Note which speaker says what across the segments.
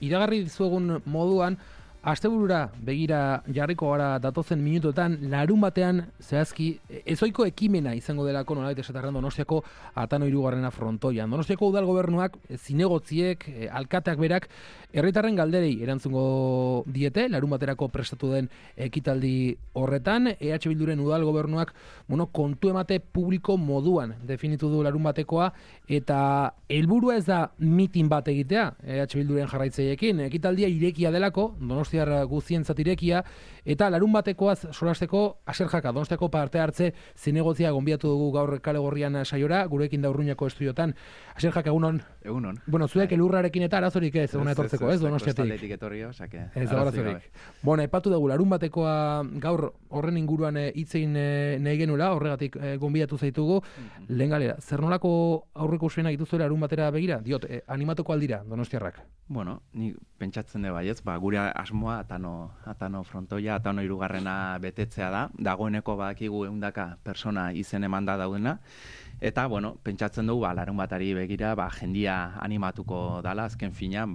Speaker 1: iragarri dizuegun moduan, asteburura begira jarriko gara datozen minutotan, larun batean zehazki ezoiko ekimena izango delako nolabait esatarren Donostiako Atano hirugarrena frontoian. Donostiako udal gobernuak, zinegotziek, alkateak berak, herritarren galderei erantzungo diete, larun baterako prestatu den ekitaldi horretan, EH Bilduren udal gobernuak, kontu emate publiko moduan definitu du larun batekoa, eta helburua ez da mitin bat egitea, EH Bilduren jarraitzaiekin, ekitaldia irekia delako, Donostiar guztientzat irekia, eta larun batekoaz solasteko Aserjaka, Donostiako parte hartze zinegotzia gonbiatu dugu gaur Kale Gorrian saiora, gurekin da Urruñako estudiotan. Aserjaka, egunon?
Speaker 2: Egunon.
Speaker 1: Bueno, zuek elurrarekin eta arazorik ez, eguna etortzeko, ez, Donostiatik? Ez da arazorik. Bueno, epatu dugu, larun batekoa gaur horren inguruan hitzein nahi genuela, horregatik gonbidatu zaitugu. Lehen galera, zer nolako aurreko usuenak dituzuela larun batera begira? Diot, animatuko aldira, Donostiarrak?
Speaker 2: Bueno, ni pentsatzen dut baiez, gure asmoa Atano frontoia, Atano hirugarrena betetzea da. Dagoeneko badakigu 100 persona izen emanda daudena. Eta, bueno, pentsatzen dugu, larun batari begira, jendia animatuko dala, azken finean,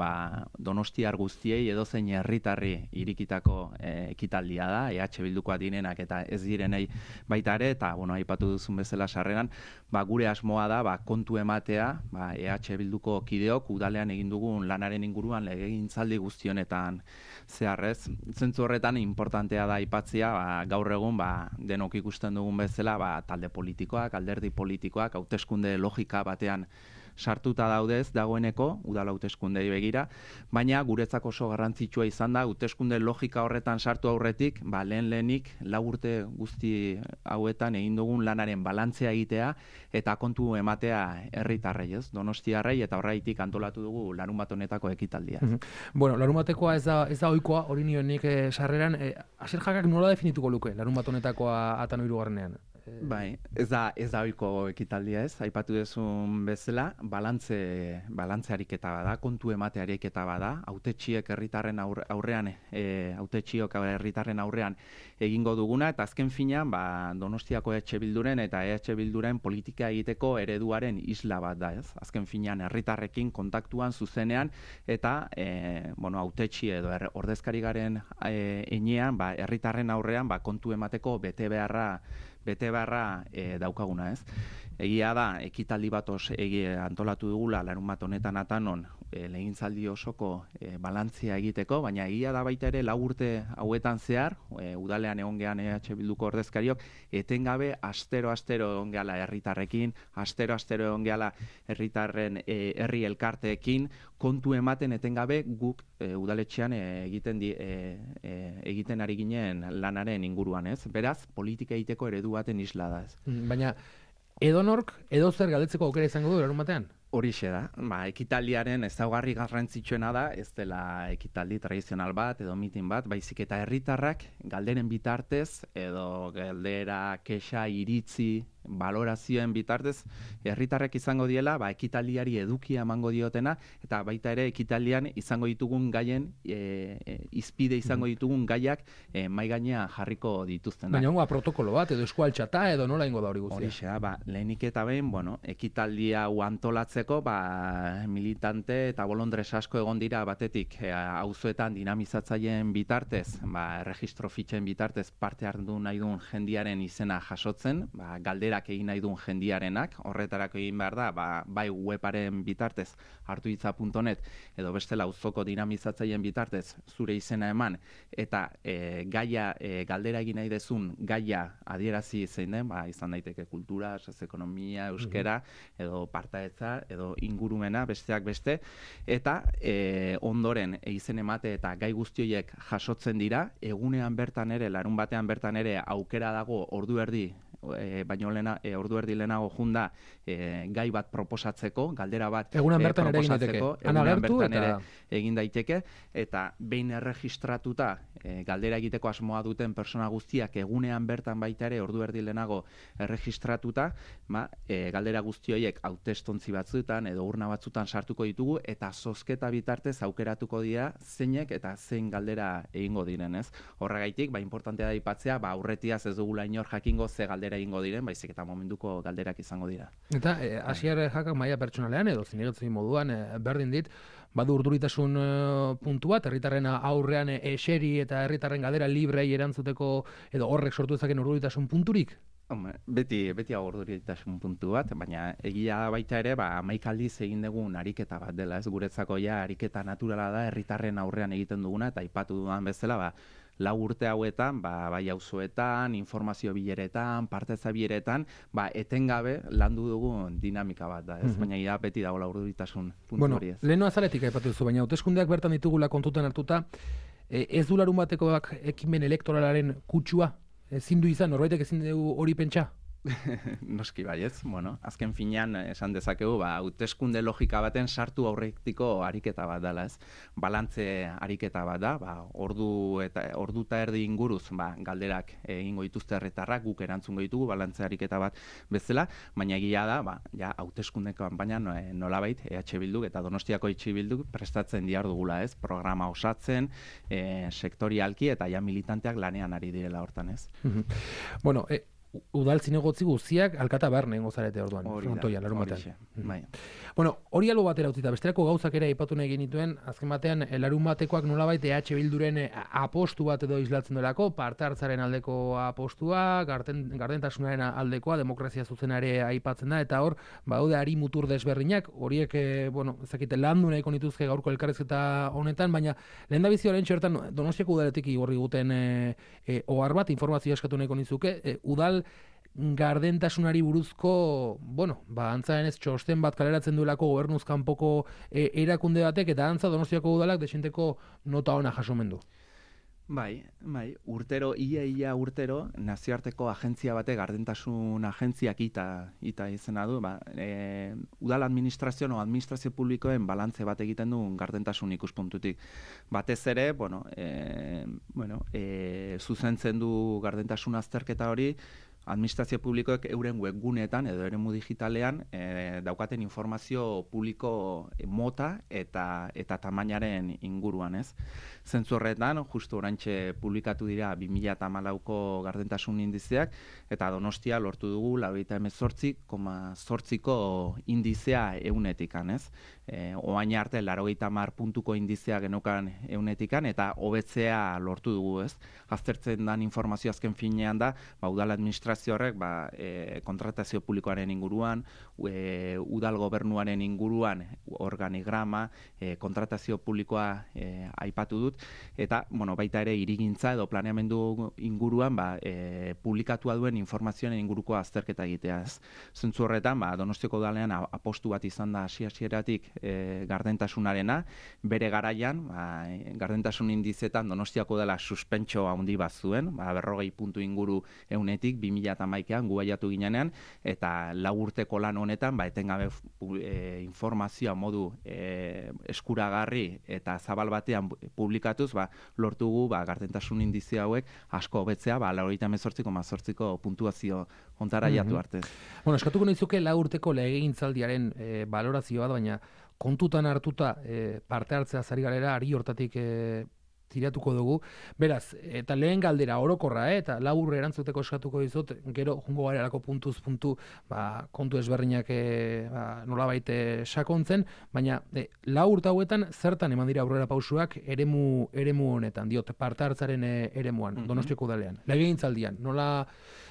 Speaker 2: Donostiar guztiei edozein herritarri irikitako ekitaldia da, EH Bildukoa direnak eta ez direnei baita ere, eta, bueno, aipatu duzun bezala sarreran, gure asmoa da, kontu ematea, EH Bilduko kideok, udalean egin dugun lanaren inguruan legegintzaldi guztionetan zeharrez. Zentzu horretan, importantea da aipatzea, gaur egun, denok ikusten dugun bezala, talde politikoak, alderdi politikoak, hauteskunde logika batean sartuta daudez dagoeneko, udal hauteskundei begira, baina guretzako oso garrantzitsua izan da, hauteskunde logika horretan sartu aurretik, lehenik 4 urte guzti hauetan egin dugun lanaren balantzea egitea eta kontu ematea herritarrei, ez? Donostiarrei, eta horreitik antolatu dugu larun bat honetako ekitaldia.
Speaker 1: Bueno, larun batekoa ez da ohikoa, hori nionik sarreran, Aserjakak nola definituko luke larun bat honetakoa Atano hirugarrenean?
Speaker 2: Bai, ez da ohiko ekitaldia, ez? Aipatu duzun bezala, balantze ariketa bada, kontu emate ariketa bada, hautetsiek herritarren aurrean, hautetsiok herritarren aurrean egingo duguna, eta azken finean, Donostiako EH Bilduren eta EH Bilduren politika egiteko ereduaren isla bat da, ez? Azken finean herritarrekin kontaktuan zuzenean, eta hautetsi edo ordezkari garen enean, herritarren aurrean kontu emateko bete beharra daukaguna, ez? Egia da, ekitaldi bat antolatu dugula larun bat honetan Atanon legintzaldi osoko balantzia egiteko, baina egia da baita ere 4 urte hauetan zehar, udalean egon gehan EH Bilduko ordezkariok, etengabe astero egon gehala herritarrekin, astero egon gehala herritarren herri elkarteekin, kontu ematen etengabe guk udaletxean egiten ari ginen lanaren inguruan, ez? Beraz, politika egiteko eredu baten isla da, ez?
Speaker 1: Baina, edonork, edozer galdetzeko aukera izango du larun batean?
Speaker 2: Horixe da, ekitaldiaren ezaugarri garrantzitsuena da, ez dela ekitaldi tradizional bat edo mitin bat, baizik eta herritarrak galderen bitartez edo galdera, kexa, iritzi, balorazioen bitartez, herritarrek izango diela, ekitaldiari edukia emango diotena, eta baita ere ekitaldian izango ditugun gaien, izpide izango ditugun gaiak mai gainean jarriko dituzten.
Speaker 1: Baina hongoa protokolo bat, edo eskualtxata, edo nola ingo da hori guztia?
Speaker 2: Horixe da, lehenik eta behin, ekitaldia antolatzeko, militante eta bolondres asko egon dira batetik auzoetan dinamizatzaileen bitartez, erregistro fitxen bitartez parte hartu nahi duen jendiaren izena jasotzen, galdera egin nahi duen jendiarenak, horretarako egin behar da, bai webaren bitartez hartuitza.net edo bestela auzoko dinamizatzaileen bitartez zure izena eman, eta galdera egin nahi dezun gaia adierazi zein den, izan daiteke kultura, sozioekonomia, euskera, edo partaidetza, edo ingurumena, besteak beste, eta ondoren izen emate eta gai guztioiek jasotzen dira, egunean bertan ere, larun batean bertan ere aukera dago ordu erdi baino ordu erdi lehenago junda gai bat proposatzeko, galdera bat proposatzeko, egunean bertan ere egin daiteke, eta behin erregistratuta galdera egiteko asmoa duten persona guztiak egunean bertan baita ere ordu erdi lehenago erregistratuta, galdera guztioiek hautestontzi batzuetan edo urna batzuetan sartuko ditugu, eta zozketa bitartez aukeratuko dira zeinek eta zein galdera egingo diren, ez? Horregaitik, importantea da aipatzea, aurretiaz ez dugula inor jakingo ze galdera atera egingo diren, baizik eta momentuko galderak izango dira.
Speaker 1: Eta Asier Jakak maila pertsonalean edo zinegotzen moduan berdin dit, badu urduritasun puntu bat, herritarren aurrean eseri eta herritarren galdera librei erantzuteko edo horrek sortu dezaken urduritasun punturik?
Speaker 2: Beti urduritasun puntu bat, baina egia da baita ere, 11 aldiz egin dugun ariketa bat dela, ez guretzako ja ariketa naturala da herritarren aurrean egiten duguna, eta aipatu dudan bezala, 4 urte hauetan, bai auzoetan, informazio bileretan, parteza bileretan, etengabe landu dugun dinamika bat da, ez? Baina beti dagoela urduritasun puntu hori ez.
Speaker 1: Leheno azaletik aipatu duzu, baina hauteskundeak bertan ditugula kontutan hartuta, ez du larun batekoak ekimen elektoralaren kutsua? Ezin du izan, norbaitek ezin dugu hori pentsa?
Speaker 2: Noski baietz, azken finean esan dezakegu, hauteskunde logika baten sartu aurretiko ariketa bat dela, ez? Balantze ariketa bat da, ordu eta erdi inguruz, galderak egingo dituzte herritarrak, guk erantzungo ditugu balantze ariketa bat bezala, baina egia da, ja hauteskunde kanpaina nolabait EH Bilduk eta Donostiako EH Bilduk prestatzen dihardugula, ez? Programa osatzen, sektorialki eta ja militanteak lanean ari direla hortan, ez?
Speaker 1: Bueno, udal zinegotzi guztiak alkata behar nengo zarete orduan, frontoian, larun batean. Bueno, hori albo batera utzita, besterako gauzak ere aipatu nahi genituen, azken batean, larun batekoak nolabait EH Bilduren apostu bat edo islatzen delako, parte hartzaren aldeko apostua, gardentasunaren aldekoa, demokrazia zuzenare aipatzen da, eta hor, daude ari mutur desberdinak, horiek, ezakite, landu nahiko nituzke gaurko elkarrizketa honetan, baina lehen da bizi horrein txertan, Donostiako udaletik igorri guten ohar bat, informazioa eskatu nahiko nizuke, udal gardentasunari buruzko, antzaen ez txosten bat kaleratzen duelako gobernuz kanpoko erakunde batek, eta antza Donostiako udalak desenteko nota ona jasomendu.
Speaker 2: Bai, ia urtero, nazioarteko agentzia bate, gardentasun agentziak ita izena du, udal administrazio publikoen balantze bat egiten du gardentasun ikuspuntutik. Batez ere, zuzentzen du gardentasun azterketa hori, administrazio publikoek euren webguneetan edo eremu digitalean daukaten informazio publiko mota eta tamainaren inguruan, ez? Zentzu horretan, justu oraintxe publikatu dira 2014ko gardentasun indizeak, eta Donostia lortu dugu 98,8ko indizea eunetikan, ez? Oain arte 90 puntuko indizea genukan eunetikan, eta hobetzea lortu dugu, ez? Aztertzen dan informazio azken finean da, udal administrazio horrek kontratazio publikoaren inguruan, udal gobernuaren inguruan organigrama, kontratazio publikoa aipatu dut, eta baita ere hirigintza edo planeamendu inguruan publikatua duen informazioen inguruko azterketa egitea. Zentzu horretan, Donostiako udalean apostu bat izan da hasieratik gardentasunarena, bere garaian, gardentasun indizetan Donostiako udala suspentso handi bat zuen, 40 puntu inguru eunetik 2011an gu baiatu ginenean, eta 4 urteko lan honetan, etengabe informazioa modu eskuragarri eta zabal batean publikatuz, lortugu gardentasun indizia hauek asko hobetzea, 98,8ko puntuazio ontara jatu arte.
Speaker 1: Eskatuko nizuke 4 urteko legegintzaldiaren balorazioa, baina kontutan hartuta parte hartzea zari galera, ari hortatik tiratuko dugu. Beraz, eta lehen galdera orokorra, eta labur erantzuteko eskatuko dizut, gero jungo garelako puntuz puntu, kontu ezberdinak nolabait sakontzen, baina 4 urte hauetan zertan eman dira aurrera pausuak eremu honetan, parte hartzaren eremuan, Donostiako udalean, legegintzaldian, nola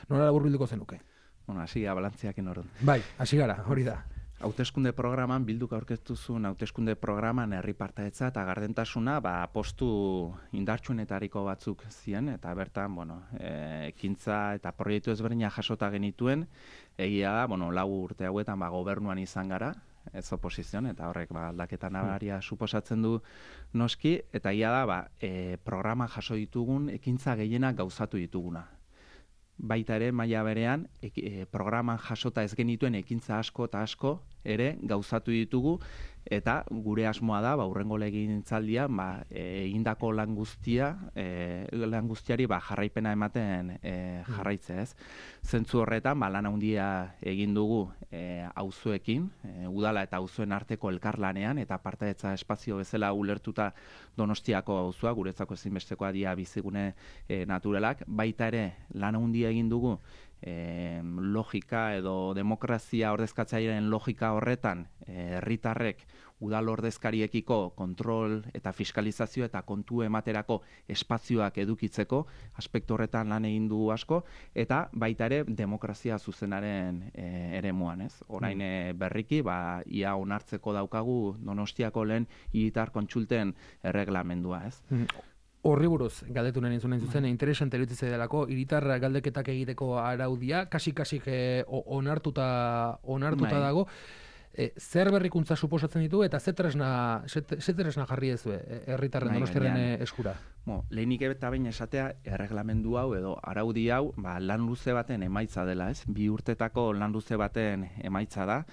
Speaker 1: laburbilduko zenuke?
Speaker 2: Hasi balantziak enorun.
Speaker 1: Bai, hasi gara, hori da.
Speaker 2: Hauteskunde programan, Bilduk aurkeztu zuen hauteskunde programan herri partaidetza eta gardentasuna postu indartsuenetariko batzuk ziren, eta bertan, ekintza eta proiektu ezberdinak jasota genituen, egia da, 4 urte hauetan gobernuan izan gara, ez oposizion, eta horrek aldaketa nabaria suposatzen du noski, eta egia da, programa jaso ditugun, ekintza gehienak gauzatu dituguna. Baita ere, maila berean, programan jasota ez genituen ekintza asko eta asko ere gauzatu ditugu, eta gure asmoa da, hurrengo legegintzaldian, egindako lan guztiari jarraipena ematen jarraitzea, ez? Zentzu horretan, lan handia egin dugu auzoekin, udala eta auzoen arteko elkarlanean, eta partaidetza espazio bezala ulertuta Donostiako auzoa, guretzako ezinbestekoa dira bizigune naturalak, baita ere lan handia egin dugu logika edo demokrazia ordezkatzailearen logika horretan herritarrek udal ordezkariekiko kontrol eta fiskalizazio eta kontu ematerako espazioak edukitzeko aspektu horretan lan egin du asko, eta baita ere demokrazia zuzenaren eremuan, ez? Orain berriki, ia onartzeko daukagu Donostiako lehen hiritar kontsulten erreglamendua, ez?
Speaker 1: Horri buruz, galdetu nahi zuzen, interesante iruditzen delako, hiritar galdeketak egiteko araudia, kasik onartuta dago, zer berrikuntza suposatzen ditu eta ze tresna jarri ez herritarren Donostiaren eskura?
Speaker 2: Lehenik eta behin esatea erreglamendu hau edo araudi hau lan luze baten emaitza dela, ez? 2 urtetako lan luze baten emaitza da.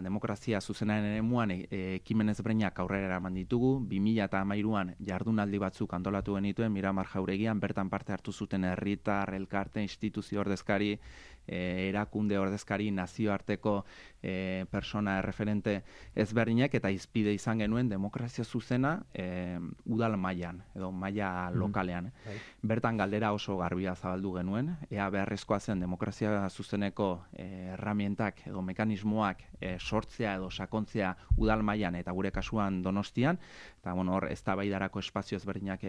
Speaker 2: Demokrazia zuzenaren eremuan ekimen ezberdinak aurrera eraman ditugu. 2013an jardunaldi batzuk antolatu genituen Miramar Jauregian, bertan parte hartu zuten herritar, elkarte, instituzio ordezkari, erakunde ordezkari, nazioarteko persona erreferente ezberdinak, eta izpide izan genuen demokrazia zuzena udal mailan edo maila lokalean. Bertan galdera oso garbia zabaldu genuen, ea beharrezkoa zen demokrazia zuzeneko erramientak edo mekanismoak sortzea edo sakontzea udal mailan eta gure kasuan Donostian, eta hor eztabaidarako espazio ezberdinak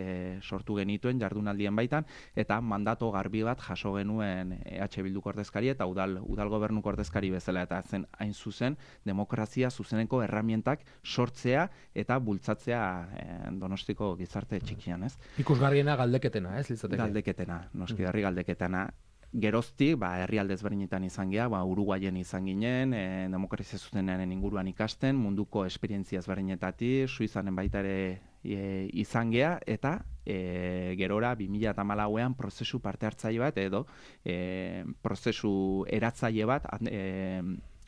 Speaker 2: sortu genituen jardunaldien baitan, eta mandato garbi bat jaso genuen EH Bilduko ordezkari eta udal gobernuko ordezkari bezala, eta zen hain zuzen demokrazia zuzeneko erramientak sortzea eta bultzatzea Donostiko gizarte txikian, ez?
Speaker 1: Ikusgarriena galdeketena, ez?
Speaker 2: Galdeketena, noski herri galdeketena. Geroztik, herrialde ezberdinetan izan gea, Uruguayen izan ginen, demokrazia zuzenaren inguruan ikasten, munduko esperientzia ezberdinetatik, Suizanen baita ere izan gea, eta gerora 2014an prozesu parte hartzaile bat edo prozesu eratzaile bat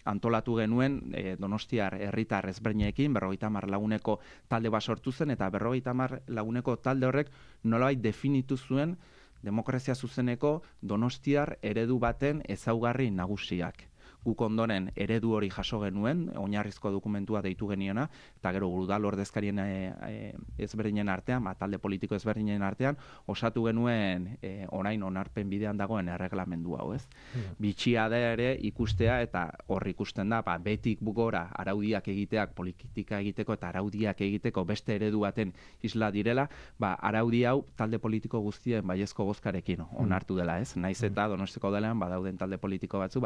Speaker 2: antolatu genuen Donostiar herritar ezberdinekin, 50 laguneko talde bat sortu zen, eta 50 laguneko talde horrek nolabait definitu zuen demokrazia zuzeneko Donostiar eredu baten ezaugarri nagusiak. Guk ondoren eredu hori jaso genuen, oinarrizko dokumentua deitu geniona, eta gero udal ordezkarien ezberdinen artean, talde politiko ezberdinen artean, osatu genuen orain onarpen bidean dagoen erreglamendu hau, ez? Bitxia da ere ikustea, eta hor ikusten da, betik gora araudiak egiteak, politika egiteko eta araudiak egiteko beste eredu baten isla direla, araudi hau talde politiko guztien baiezko bozkarekin onartu dela, ez? Naiz eta Donostiko delean badauden talde politiko batzu,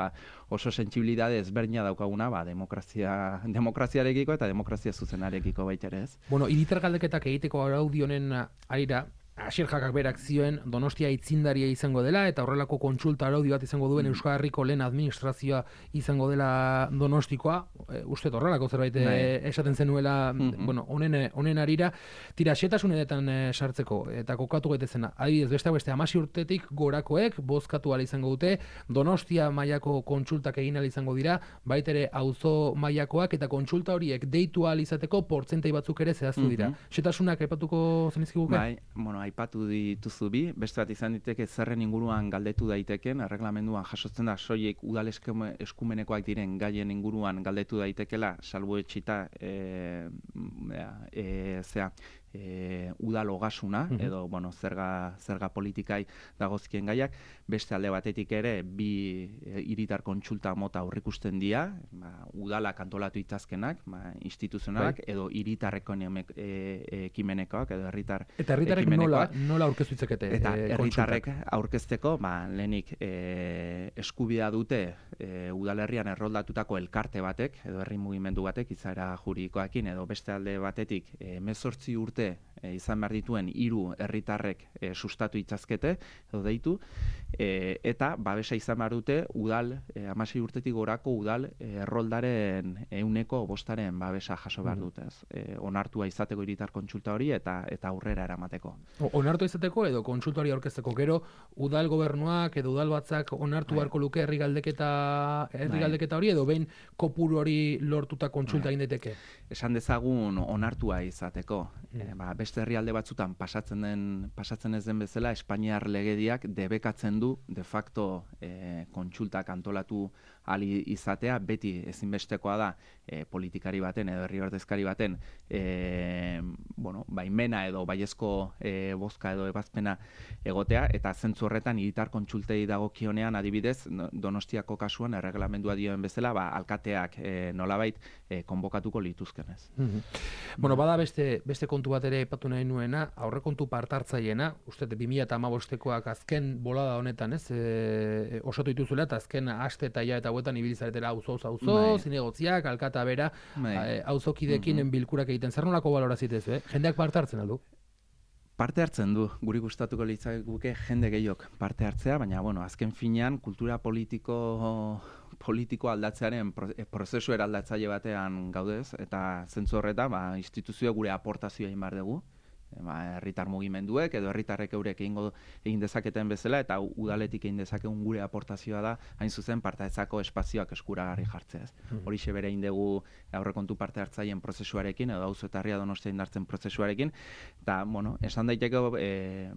Speaker 2: oso sentsibilidade ezberdina daukaguna, demokraziarekiko eta demokrazia zuzenarekiko baita ere, ez?
Speaker 1: Hiritar galdeketak egiteko araudi honen arira, Asier Jakak berak zioen Donostia aitzindaria izango dela eta horrelako kontsulta araudi bat izango duen Euskal Herriko lehen administrazioa izango dela Donostikoa. Uste horrelako zerbait esaten zenuela honen arira. Tira, xetasunetan sartzeko eta kokatu gaitezena. Adibidez, beste 16 urtetik gorakoek bozkatu ala izango dute, Donostia mailako kontsultak egin ala izango dira, baita ere auzo mailakoak, eta kontsulta horiek deitu ala izateko portzentai batzuk ere zehaztu dira. Xetasunak aipatuko zenizkiguke?
Speaker 2: Aipatu dituzu bi, beste bat izan diteke zerren inguruan galdetu daiteken, erreglamenduan jasotzen da soilik udal eskumenekoak diren gaien inguruan galdetu daitekela, salbuetsita udal ogasuna, edo zerga politikai dagozkien gaiak, beste alde batetik ere bi hiritar kontsulta mota aurrikusten dira, udalak antolatu itazkenak, instituzionalak, edo hiritarreko ekimenekoak, edo herritar ekimenekoak.
Speaker 1: Nola aurkeztu itzakete?
Speaker 2: Eta herritarrek aurkezteko, lehenik eskubidea dute udalerrian erroldatutako elkarte batek, edo herri mugimendu batek, izaera juridikoekin, edo beste alde batetik 18 urte izan behar dituen 3 herritarrek sustatu itzazkete, edo deitu, eta babesa izan behar dute udal, 16 urtetik gorako udal erroldaren 100% babesa jaso behar dute. Onartua izateko hiritar kontsulta hori eta aurrera eramateko.
Speaker 1: Onartua izateko edo kontsulta hori aurkezteko, gero udal gobernuak edo udal batzak onartu beharko luke herri galdeketa hori, edo behin kopuru hori lortuta kontsulta egin daiteke?
Speaker 2: Esan dezagun onartua izateko. beste herrialde batzutan pasatzen ez den bezala, Espainiar legediak debekatzen du de facto kontsultak antolatu ali izatea, beti ezinbestekoa da politikari baten edo herri ordezkari baten baimena edo baiezko bozka edo ebazpena egotea, eta zentzu horretan hiritar kontsultei dagokionean adibidez Donostiako kasuan erreglamendua dioen bezala alkateak nolabait konbokatuko lituzkenez.
Speaker 1: Bueno, bada beste kontu bat ere aipatu nahi nuena, aurrekontu partartzaileena, uste 2015koak azken bolada honetan, ez? Osatu dituzuela eta azken aste eta ja eta hauetan ibili zaretela auzo, zinegotziak, alkata bera, auzokideekin bilkurak egiten. Zer nolako balorazitez, jendeak parte hartzen aldu?
Speaker 2: Parte hartzen du, guri gustatuko litzaiguke jende gehiok parte hartzea, baina azken finean kultura politiko aldatzearen prozesu eraldatzaile batean gaudez, eta zentzu horretan instituzioa gure aportazioa egin behar dugu, herritar mugimenduek edo herritarrek eurek egin dezaketen bezala, eta udaletik egin dezakegun gure aportazioa da hain zuzen partaetzako espazioak eskuragarri jartzea. Horixe bere egin dugu aurrekontu parte hartzaileen prozesuarekin edo auzo eta herria Donostia indartzen prozesuarekin, eta esan daiteke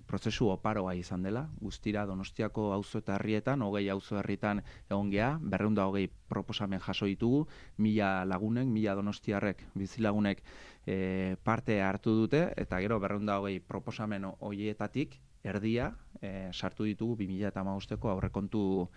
Speaker 2: prozesu oparoa izan dela, guztira Donostiako auzo eta herrietan, 20 auzo herritan egon gea, 220 proposamen jaso ditugu, 1000 lagunek, 1000 donostiarrek, bizilagunek parte hartu dute, eta gero 220 proposamen horietatik erdia sartu ditugu 2015ko aurrekontu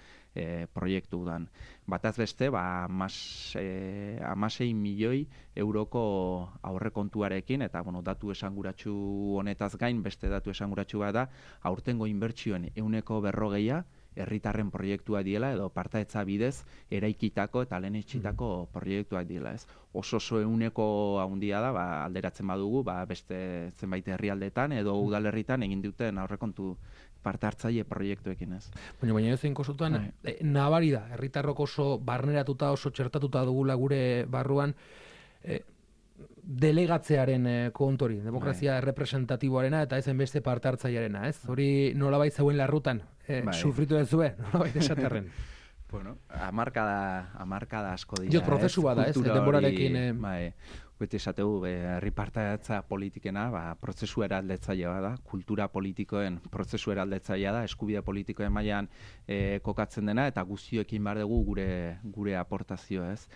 Speaker 2: proiektuan. Bataz beste, 16 milioi euroko aurrekontuarekin, eta datu esanguratsu honetaz gain, beste datu esanguratsu bat da, aurtengo inbertsioen 140 herritarren proiektua diela edo partaetza bidez eraikitako eta lehenetsitako proiektuak diela, ez? Oso 100 handia da, alderatzen badugu, beste zenbait herrialdetan edo udalerritan egin duten aurrekontu parte hartzaile proiektuekin, ez?
Speaker 1: Baina ez zein kosutan, nabari da, herritarrok oso barneratuta, oso txertatuta dugula gure barruan, delegatzearen kontori, demokrazia representatiboarena eta ezen beste parte hartzailearena, ez? Hori nolabait zeuen larrutan, sufritu dezue, nolabait esaterren.
Speaker 2: Hamarkada asko dira.
Speaker 1: Diot, prozesu bada, ez? Denborarekin...
Speaker 2: Beti esategu, herri partaetza politikena, prozesu eraldetzailea da, kultura politikoen prozesu eraldetzailea da, eskubide politikoen mailan kokatzen dena, eta guztioekin behar dugu gure aportazioa, ez?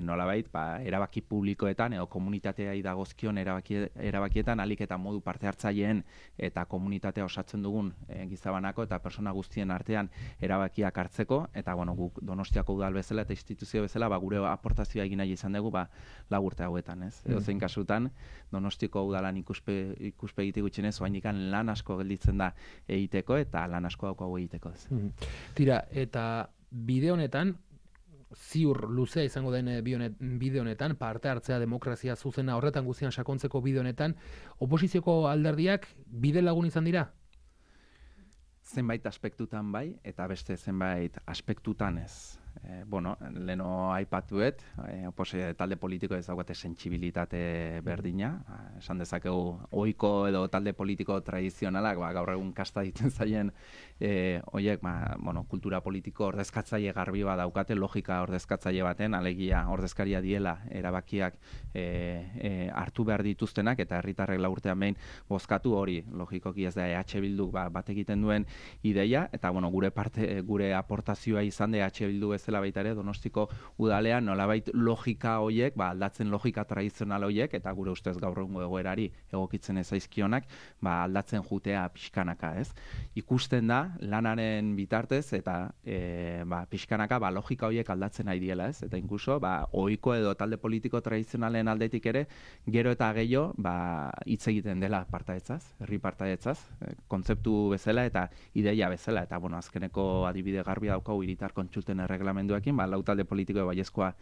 Speaker 2: Nolabait, erabaki publikoetan edo komunitateai dagozkion erabakietan alik eta modu parte hartzaileen eta komunitatea osatzen dugun gizabanako eta persona guztien artean erabakiak hartzeko, eta guk Donostiako udal bezala eta instituzio bezala gure aportazioa egin nahi izan dugu 4 urte hauetan, ez? Edo zein kasutan Donostiako udalan ikuspegitik gutxienez oraindikan lan asko gelditzen da egiteko eta lan asko daukagu egiteko, ez?
Speaker 1: Tira, eta bide honetan ziur luzea izango den bide honetan, parte hartzea demokrazia zuzena horretan guztian sakontzeko bide honetan, oposizioko alderdiak bide lagun izan dira?
Speaker 2: Zenbait aspektutan bai, eta beste zenbait aspektutan ez. Leno aipatuet, talde politiko ez daukate sentsibilitate berdina, esan dezakegu ohiko edo talde politiko tradizionalak, gaur egun kasta ditzen zaien horiek, kultura politiko ordezkatzaile garbi bat daukate, logika ordezkatzaile baten, alegia ordezkaria diela erabakiak hartu behar dituztenak, eta herritarrek 4 urtean behin bozkatu hori, logikoki ez da EH Bilduk bat egiten duen ideia, eta gure aportazioa izan da EH Bildu bezala baita ere Donostiko udalean nolabait logika horiek, aldatzen logika tradizional horiek, eta gure ustez gaur egungo egoerari egokitzen ez zaizkionak, aldatzen jutea pixkanaka, ez? Ikusten da lanaren bitartez eta pixkanaka logika horiek aldatzen nahi diela, ez? Eta inkluso ohiko edo talde politiko tradizionalen aldetik ere gero eta gehiago hitz egiten dela partaetzaz, herri partaetzaz, kontzeptu bezala eta ideia bezala, eta azkeneko adibide garbia daukagu hiritar kontsulten erreglamenduekin, 4 talde politiko baiezkoa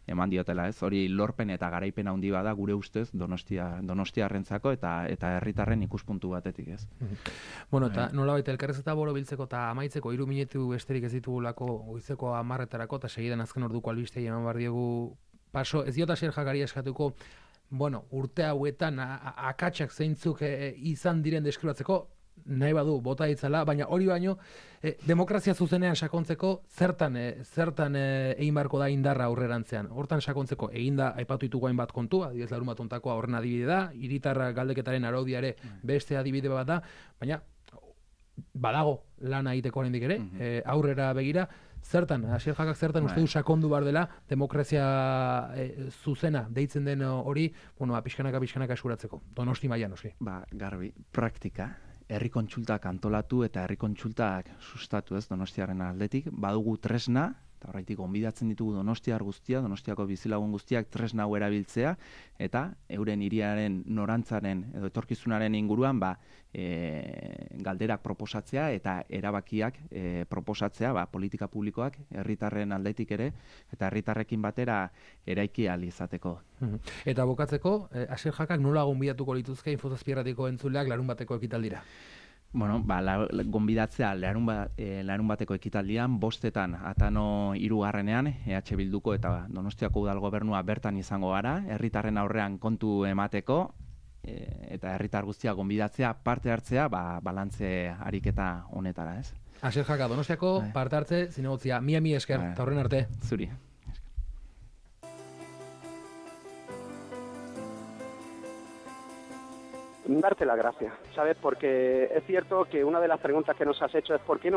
Speaker 2: eman diotela, ez? Hori lorpen eta garaipen handi bada gure ustez Donostiarrentzako eta herritarren ikuspuntu batetik, ez?
Speaker 1: Eta nolabait elkarrizketa borobiltzeko eta amaitzeko 3 minutu besterik ez ditugulako goizeko 10etarako eta segidan azken orduko albistei eman behar diegu paso. Ez diot Asier Jakari eskatuko, urte hauetan akatsak zeintzuk izan diren deskribatzeko, nahi badu bota ditzala, baina hori baino demokrazia zuzenean sakontzeko zertan egin beharko da indarra aurrerantzean. Hortan sakontzeko eginda aipatu ditugu hainbat kontu, adibidez larunbat hontakoa horren adibide da, hiritarra galdeketaren araudia ere beste adibide bat da, baina badago lana egiteko oraindik ere, aurrera begira, zertan, Asier Jakak zertan uste du sakondu behar dela demokrazia zuzena deitzen den hori, pixkanaka eskuratzeko. Donosti mailan noski.
Speaker 2: Garbi, praktika. Herri kontsultak antolatu eta herri kontsultak sustatu Donostiaren aldetik. Badugu tresna, eta horretik gonbidatzen ditugu Donostiar guztia, Donostiako bizilagun guztiak tresna hau erabiltzea, eta euren hiriaren norantzaren edo etorkizunaren inguruan galderak proposatzea eta erabakiak proposatzea politika publikoak herritarren aldetik ere, eta herritarrekin batera eraiki ahal izateko.
Speaker 1: Eta bukatzeko, Asier Jakak nola gonbidatuko lituzke Infozazpierratiko entzuleak larunbateko ekitaldira?
Speaker 2: Gonbidatzea larunbateko ekitaldian, 5:00 Atano 3. EH Bilduko eta Donostiako Udal Gobernua bertan izango gara, herritarren aurrean kontu emateko, eta herritar guztia gonbidatzea, parte hartzea, balantze ariketa honetara, ez?
Speaker 1: Asier Jaka, Donostiako parte hartze zinegotzia, mila esker, eta horren arte.
Speaker 2: Zuri.
Speaker 3: Darte la gracia, ¿sabes? Porque es cierto que una de las preguntas que nos has hecho es ¿por qué no se